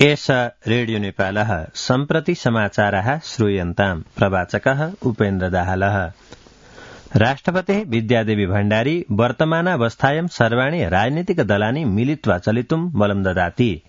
एष रेडियो नेपालः सम्प्रति समाचारः श्रूयन्ताम् प्रवाचकः उपेन्द्र दाहालः। राष्ट्रपतिः विद्यादेवी भण्डारी वर्तमानावस्थायां सर्वाणि राजनीतिक दलानि मिलित्वा चलितुं बलं ददाति।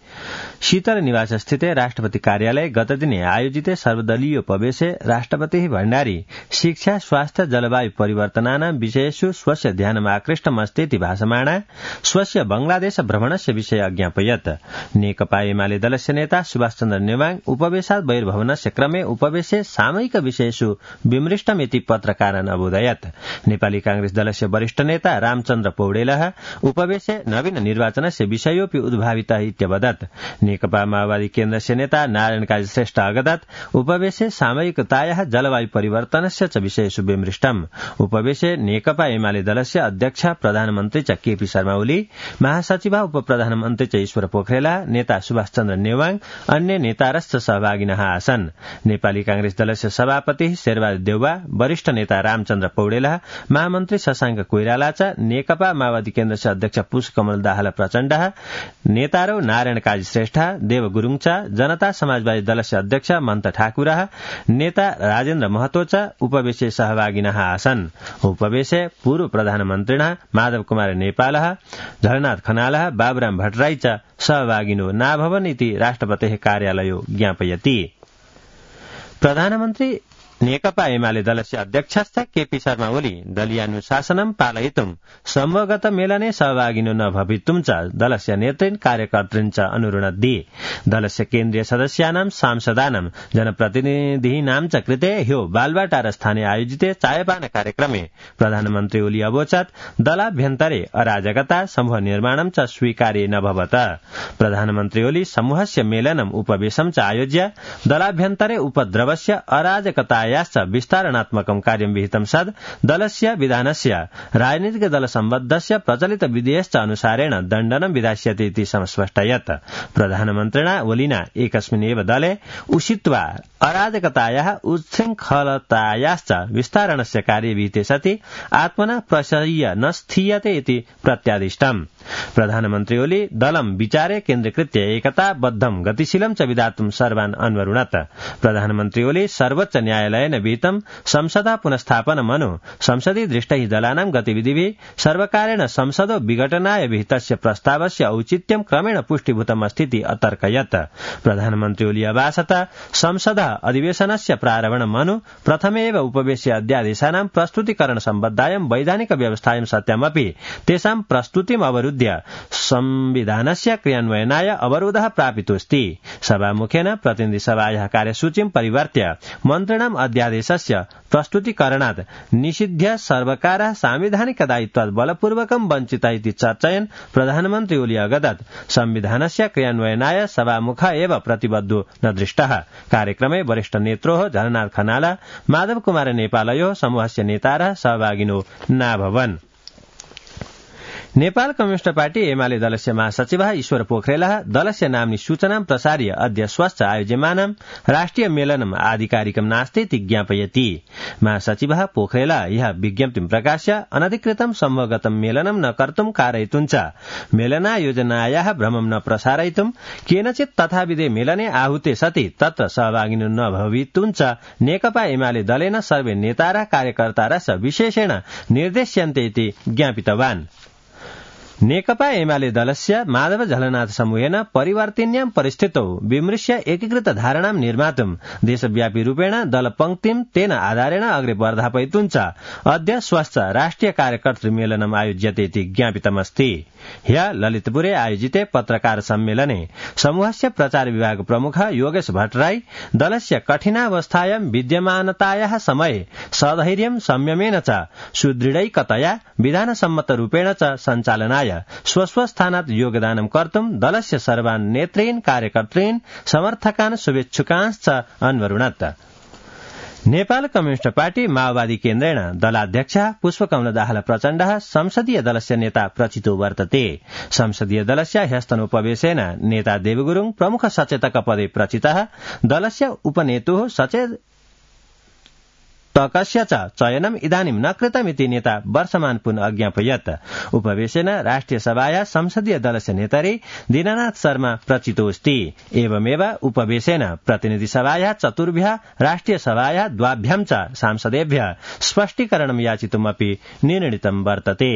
शीतल निवासस्थिते राष्ट्रपति कार्यालये गतदिने आयोजिते सर्वदलीयोपवेशे राष्ट्रपतिः भण्डारी शिक्षा स्वास्थ्य जलवायु परिवर्तनानां विषयेषु स्वस्य ध्यानमाकृष्टमस्तीति भाषमाणा स्वस्य बांग्लादेश भ्रमणस्य विषये अज्ञापयत्। नेकपा एमाले दलस्य नेता सुभाषचन्द्र नेवाङ उपवेशात् बहिर्भवनस्य क्रमे उपवेशे सामयिक विषयेषु विमृष्टमिति पत्रकारान् अबोधयत्। नेपाली कांग्रेस दलस्य वरिष्ठ नेता रामचन्द्र पौडेलः उपवेशे नवीन निर्वाचनस्य विषयोऽपि उद्भावितः इत्यवदत्। नेकपा माओवादी केन्द्रस्य नेता नारायण काजी श्रेष्ठ अगदत् उपवेशे सामयिकतायाः जलवायु परिवर्तनस्य च विषयेषु विमृष्टम्। उपवेशे नेकपा एमाले दलस्य अध्यक्ष प्रधानमन्त्री च केपी शर्मा ओली, महासचिव उपप्रधानमन्त्री च ईश्वर पोखरेल, नेता सुभाषचन्द्र नेवाङ, अन्य नेतारश्च सहभागिनः आसन्। नेपाली कांग्रेस दलस्य सभापति शेरबहादुर देउवा, वरिष्ठ नेता रामचन्द्र पौडेल, महामन्त्री शशाङ्क कोइराला च नेकपा माओवादी केन्द्रस्य अध्यक्ष पुष्पकमल दाहाल प्रचण्ड, नेतारौ नारायण काजी श्रेष्ठ, देव गुरूङ च, जनता समाजवादी दलस्य अध्यक्ष मन्त ठाकुर, नेता राजेन्द्र महतो च उपवेशे सहभागिनः आसन्। उपवेशे पूर्व प्रधानमन्त्रिणः माधव कुमार नेपाल, झलनाथ खनाल, बाबुराम भट्टराई च सहभागिनो नाभवन् इति राष्ट्रपतेः कार्यालयो ज्ञापयति। प्रधानमन्त्री नेकपा एमाले दलस्य अध्यक्षश्च केपी शर्मा ओली दलीयानुशासनं पालयितुं समूहगत मेलने सहभागिनो न भवितुं च दलस्य नेतृन् कार्यकर्तृन् च अनुरुणद्धि। दलस्य केन्द्रीय सदस्यानां सांसदानां जनप्रतिनिधीनां च कृते ह्यो बालवाटार स्थाने आयोजिते चायपान कार्यक्रमे प्रधानमन्त्री ओली अवोचत् दलाभ्यन्तरे अराजकता समूह निर्माणं च स्वीकार्य न भवत। प्रधानमन्त्री ओली समूहस्य मेलनम् उपवेशं च आयोज्य दलाभ्यन्तरे उपद्रवस्य अराजकता याश्च विस्तारणात्मकं कार्यं विहितं सद् दलस्य विधानस्य राजनीतिक दल सम्बद्धस्य प्रचलित विधेयश्च अनुसारेण दण्डनं विधास्यते इति समस्पष्टयत्। प्रधानमन्त्रिणा ओलिना एकस्मिन् एव दले उषित्वा अराजकतायाः उच्छृङ्खलतायाश्च विस्तारणस्य कार्ये विहिते सति आत्मना प्रशय्य न स्थीयते इति प्रत्यादिष्टम्। प्रधानमन्त्री ओली दलं विचारे केन्द्रीकृत्य एकताबद्धं गतिशीलं च विधातुं सर्वान् अन्वरुणत्। प्रधानमन्त्री ओली सर्वोच्च न्यायालयेन विहितं संसदा पुनस्थापनमनु संसदीय दृष्टैः दलानां गतिविधिभिः सर्वकारेण संसदो विघटनाय विहितस्य प्रस्तावस्य औचित्यं क्रमेण पुष्टीभूतमस्तीति अतर्कयत्। प्रधानमन्त्री ओली अभाषत संसद अधिवेशनस्य प्रारम्भमनु प्रथमेव उपवेश्य अध्यादेशानां प्रस्तुतीकरण सम्बद्धायां वैधानिक व्यवस्थायां सत्यमपि तेषां प्रस्तुतिम् अवरुद्ध्य संविधानस्य क्रियान्वयनाय अवरोधः प्रापितोऽस्ति। सभामुखेन प्रतिनिधि सभायाः कार्यसूचीं परिवर्त्य मन्त्रिणाम् अध्यादेशस्य प्रस्तुतीकरणात् निषिध्य सर्वकारः सांविधानिक दायित्वात् बलपूर्वकं वञ्चितः इति चर्चयन् प्रधानमन्त्री ओली अगदत् संविधानस्य क्रियान्वयनाय सभामुख एव प्रतिबद्धो न दृष्टः। कार्यक्रमे वरिष्ठ नेत्रोः झलनाथ खनाल, माधव कुमार नेपालयोः समूहस्य नेतारः सहभागिनो नाभवन्। नेपाल कम्युनिष्ट पार्टी एमाले दलस्य महासचिवः ईश्वर पोखरेलः दलस्य नाम्नि सूचनां प्रसार्य अद्य श्वश्च आयोज्यमानं राष्ट्रिय मेलनम् आधिकारिकं नास्ति इति ज्ञापयति। महासचिवः पोखरेलः यः विज्ञप्तिं प्रकाश्य अनधिकृतं समूहगतं मेलनं न कर्तुं कारयितुं च मेलनायोजनायाः भ्रमं न प्रसारयितुं केनचित् तथाविधे मेलने आहूते सति तत्र सहभागिनो न भवितुं च नेकपा एमाले दलेन सर्वे नेतारः कार्यकर्तारः विशेषेण निर्देश्यन्ते इति ज्ञापितवान्। नेकपा एमाले दलस्य माधव झलनाथ समूहेन परिवर्तिन्यां परिस्थितौ विमृश्य एकीकृत धारणां निर्मातुं देशव्यापी रूपेण दलपङ्क्तिं तेन आधारेण अग्रे वर्धापयितुं च अद्य श्वश्च राष्ट्रिय कार्यकर्तृ मेलनम् आयोज्यते इति ज्ञापितमस्ति। ह्यः ललितपुरे आयोजिते पत्रकार सम्मेलने समूहस्य प्रचार विभाग प्रमुख योगेश भट्टराई दलस्य कठिनावस्थायां विद्यमानतायाः समये सधैर्यं संयमेन च सुदृढैकतया विधानसम्मत रूपेण च सञ्चालनाय स्वस्वस्थानात् योगदानं कर्तुं दलस्य सर्वान् नेतॄन् कार्यकर्तॄन् समर्थकान् शुभेच्छुकांश्च अन्वरुणत्। नेपाल कम्युनिष्ट पार्टी माओवादी केन्द्रेण दलाध्यक्षः पुष्पकमल दाहाल प्रचण्डः संसदीय दलस्य नेता प्रचितो वर्तते। संसदीय दलस्य ह्यस्तनोपवेशेन नेता देवगुरूङ प्रमुख सचेतक पदे प्रचितः। दलस्य उपनेतुः पुस्तकस्य च चयनम् इदानीं न कृतमिति नेता वर्षमान पुनः अज्ञापयत्। उपवेशेन राष्ट्रिय सभाया संसदीय दलस्य नेतरि दीननाथ शर्मा प्रचितोऽस्ति। एवमेव उपवेशेन प्रतिनिधि सभाया चतुर्भ्यः राष्ट्रिय सभाया द्वाभ्यां च सांसदेभ्यः स्पष्टीकरणं याचितुमपि निर्णीतं वर्तते।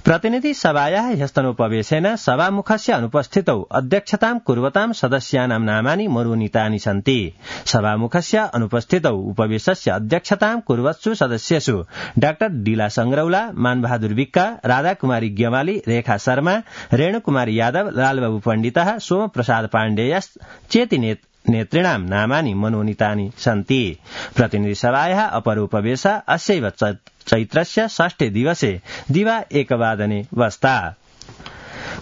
प्रतिनिधि सभाया ह्यस्तनोपवेशेन सभामुखस्य अनुपस्थितौ अध्यक्षतां कुर्वतां सदस्यानां नामानि मरोनीतानि सन्ति। सभामुखस्य अनुपस्थितौ उपवेशस्य अध्यक्षतां कुर्वत्सु सदस्येषु डाक्टर डीला संग्रौला, मानबहादुर विक्का, राधाकुमारी ग्यवाली, रेखा शर्मा, रेणुकुमारी यादव, लालबाबू पण्डितः, सोमप्रसाद पाण्डेयश्चेति नेतॄणां नामानि मनोनीतानि सन्ति। प्रतिनिधि सभाया अपरोपवेश अस्यैव चैत्रस्य षष्ठे दिवसे दिवा 1 वादने वस्ता।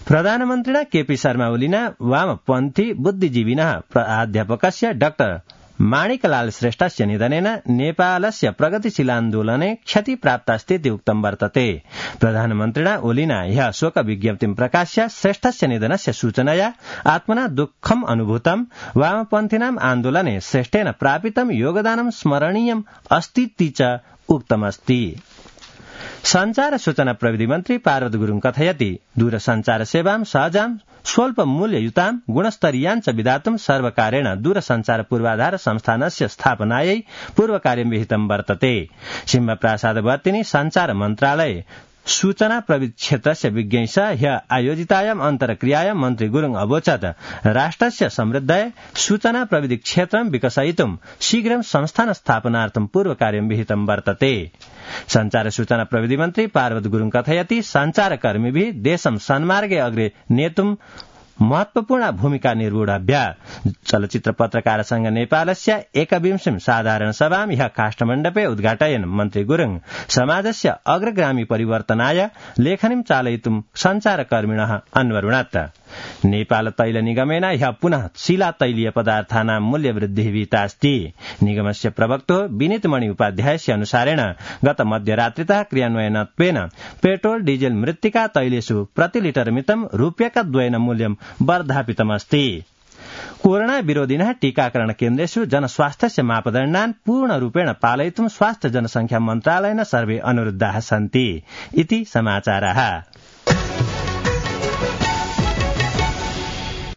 प्रधानमन्त्रिणा केपी शर्मा ओलीना वामपन्थी बुद्धिजीविनः प्राध्यापकस्य डाक्टर माणिकलाल श्रेष्ठस्य निधनेन नेपालस्य प्रगतिशीलान्दोलने क्षतिप्राप्तास्तीति उक्तं वर्तते। प्रधानमन्त्रिणा ओलीना ह्यः शोक विज्ञप्तिं प्रकाश्य श्रेष्ठस्य निधनस्य सूचनया आत्मना दुःखम् अनुभूतं, वामपन्थिनाम् आन्दोलने श्रेष्ठेन प्रापितं योगदानं स्मरणीयम् अस्तीति च उक्तमस्ति। संचार सूचना प्रविधि मन्त्री पार्वत गुरुङ कथयति दूरसञ्चार सेवां सहजां स्वल्प मूल्ययुतां गुणस्तरीयाञ्च विधातुं सर्वकारेण दूरसञ्चार पूर्वाधार संस्थानस्य स्थापनायै पूर्वकार्यं विहितं वर्तते। सिंहप्रासादवर्तिनि संचार मन्त्रालय सूचना प्रविधि क्षेत्रस्य विज्ञैः ह्य आयोजितायाम् अन्तर्क्रियायां मन्त्री गुरुङ अवोचत् राष्ट्रस्य समृद्धये सूचना प्रविधि क्षेत्रं विकसयितुं शीघ्रं संस्थान स्थापनार्थं पूर्वकार्यं विहितं वर्तते। संचार सूचना प्रविधि मन्त्री पार्वत गुरुङ कथयति संचारकर्मीभिः देशं सन्मार्गे अग्रे नेतुं महत्वपूर्ण भूमिका निर्वोढव्या। चलचित्र पत्रकार संघ नेपालस्य 21 साधारण सभां ह्यः काष्ठमण्डपे उद्घाटयन् मन्त्री गुरुङ समाजस्य अग्रगामी परिवर्तनाय लेखनीं चालयितुं संचारकर्मिणः अन्वरुणत्। नेपाल तैल निगमेन ह्यः पुनः शिला तैलीय पदार्थानां मूल्यवृद्धिः विहितास्ति। निगमस्य प्रवक्तो विनीतमणि उपाध्यायस्य अनुसारेण गत मध्यरात्रितः क्रियान्वयनत्वेन पेट्रोल डीजेल मृत्तिका तैलेषु प्रति लिटर मितं रूप्यकद्वयेन मूल्यं वर्धापितमस्ति। कोरोना विरोधिनः टीकाकरण केन्द्रेषु जनस्वास्थ्यस्य मापदण्डान् पूर्णरूपेण पालयितुं स्वास्थ्य जनसंख्या मन्त्रालयेन सर्वे अनुरुद्धाः सन्ति इति समाचारः।